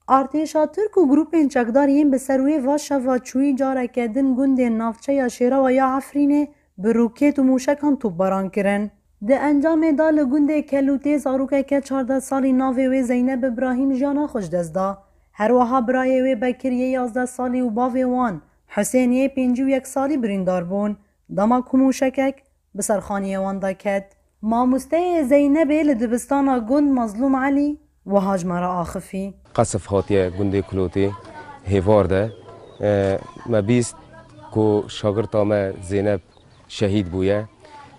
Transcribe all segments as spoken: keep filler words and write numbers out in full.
Artêşa Tirk û grûpên çekdar yên bi ser wê va şeva çûyî careke din gundên navçeya Şêrewa ya Efrînê bi rokêt û mûşekan topbaran kirin. Di encamê de li gundê Kelûtê zarokeke çardeh salî navê wê Zeyneb Îbrahîm jiyana xwe ji dest da. Her wiha birayê wê Bekir yê yazdeh salî û bavê wan Husên yê pêncî û yek salî birîndar bûn. Dema ku mûşekek bi ser xaniyê wan de ket. Mamosteyê Zeynebê li dibistana gund Mazlûm Elî wiha ji me re axifî. Qesif hatiye gundê Kulotê Hêvar de. E, me bîst ku şagirta me Zeynep şehîd bûye.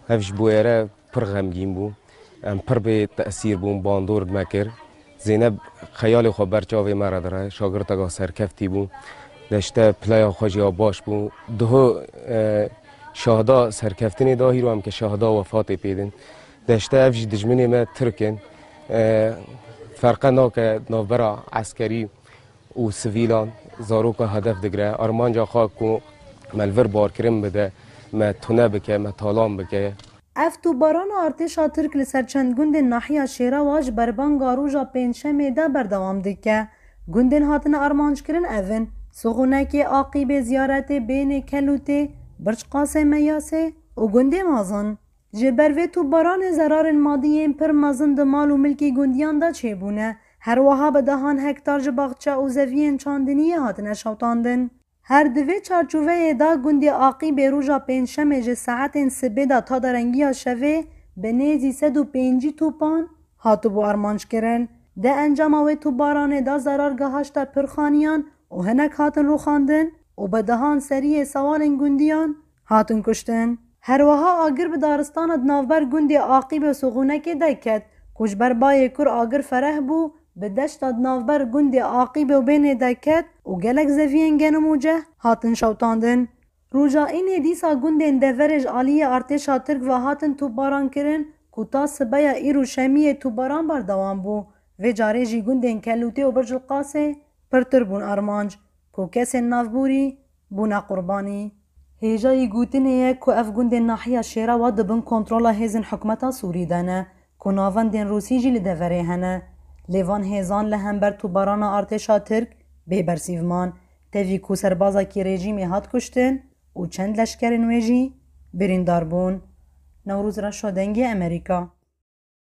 Ev ji bo êre pir xemgîn bû. Em pir bê tesîr bûn, bandor me kir. Zeynep xeyalê xwe ber çavê me re dire, şagirteka serkeftî bû. Deşte pileya xwe jî ya baş bû. Diho, e, şahda serkeftinê da hîro em ke şahda wefatê pê din. Deşte ev jî dijminê me Tirk in. E, ferqe nake navbera eskerî û sivîlan, zaroka hedef digire. Armanca xwe ku me li vir barkirin bide, me tune bike, me talan bike. Ev topbarana artêşa Tirk li ser çend gundên nahiya Şêrewa ji berbanga roja Pêncşemê de berdewam dike. Gundên hatine armanckirin ev in: Sixûnekê, Aqîbê, Ziyaretê, Bênê, Kelûtê, Birç Qasê, Meyasê û gundê Mazin. Ji ber vê topbaranê zerarên madî yên pir mezin di mal û milkê gundiyan de çêbûne. Her wiha bi dehan hektar ji baxçe û zeviyên çandiniyê hatine şewtandin. Her di vê çarçoveyê de gundê Aqîbê roja Pêncşemê ji saetên sibê de ta derengiya şevê bi nêzî sed û pêncî topan hatibû armanckirin. Di encama wê topbaranê de zerar gihişte pir xaniyan û hinek hatin rûxandin û bi dehan seriyê sewalên gundiyan hatin kuştin. Her wiha agir bi daristana di navber gundê Aqîbê û Sixûnekê de ket, ku ji ber bayê kur agir fereh bû, bi deşta di navber gundê Aqîbê û Bênê de ket û gelek zeviyên genim û ceh hatin şewtandin. Roja înê dîsa gundên deverê ji aliyê artêşa Tirk ve hatin topbaran kirin, ku ta sibeya îro şemiyê topbaran berdewam bû. Vê carê jî gundên Kelûtê û Bircilqasê pirtir bûn armanc, ku kesên navborî bûne qurbanî. Hêjayî gotinê ye ku ev gundên nahiya Şêrewa di bin kontrola hêzên hikûmeta Sûrî de ne, ku navendên Rûsî jî li deverê hene. Lê van hêzan li hember topbarana artêşa Tirk bê bersîv man, tevî ku serbazekî rejîmê hat kuştin û çend leşkerên wê jî birîndar bûn. Newroz Reşo, Dengê Amerîka.